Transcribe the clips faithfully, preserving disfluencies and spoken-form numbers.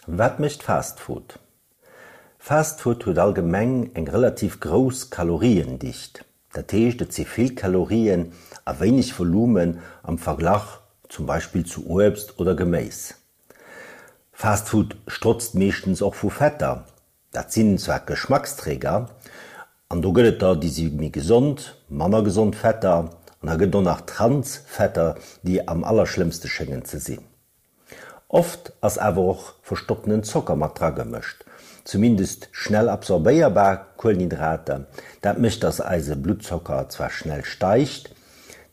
Wat mécht Fast Food? Fast Food huet allgemeng eng relativ grouss Kaloriendicht, dat heescht et si vill Kalorien a wéineg Volumen am Verglach zum Beispill zu Uebst oder Geméis. Fast Food strotzt meeschtens och vu Fetter, dat sinn zwar Geschmacksträger, an do gëtt et der déi si méi gesond, manner gesond Fetter an da gëtt et och nach Transfetter, déi am allerschlëmmste schéngen ze sinn. Oft ass awer och verstopptenen Zocker mat dragemëscht, zumindest schnell absorbéierbar Kuelenhydrater. Dat mécht, dass eise Bluttzocker zwar schnell steigt,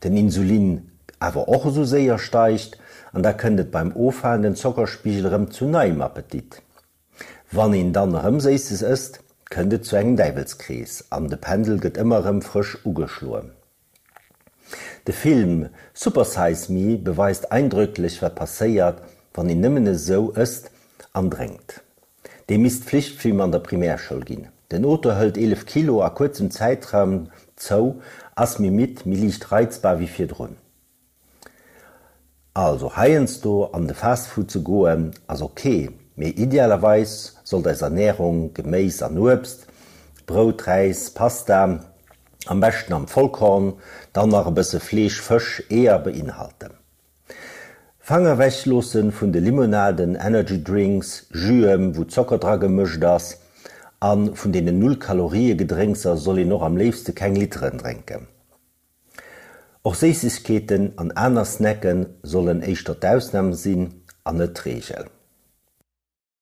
den Insulin awer och esou séier steigt an da kënnt et beim offalenden Zockerspigel erëm zu neiem Appetit. Wann een dann erëm Séisses ësst, kënnt et zu engem Däiwelskrees an de Pendel gëtt ëmmer erëm frësch ugeschloen. De Film Super Size Me beweist eindrücklech wat passéiert, wann een nëmmen esou ësst an drénkt. Dee misst Flichtfilm an der Primärschoul ginn. Den Auteur hëlt eelef Kilo a kuerzem Zäitraum zou, ass méi midd, méi liicht reizbar wéi virdrun. Also heiansdo an de Fast Food ze goen ass ok, mee idealerweis sollt eis Ernärung Geméis an Uebst, Brout, Räis, Pasta, am beschten am Vollkorn, dann nach e bësse Fleesch, Fësch, Eeër beinhalten. Fanger ewech loossen vun de Limonaden, Energy Drinks, Juen, wou Zocker dra gemëscht ass, a vun deenen Null-Kalorië-Gedrénkser soll een och am léifste keng Literen drénken. Och Séissegkeeten an aner Snacken sollen éischter d'Ausnam sinn an net d'Reegel.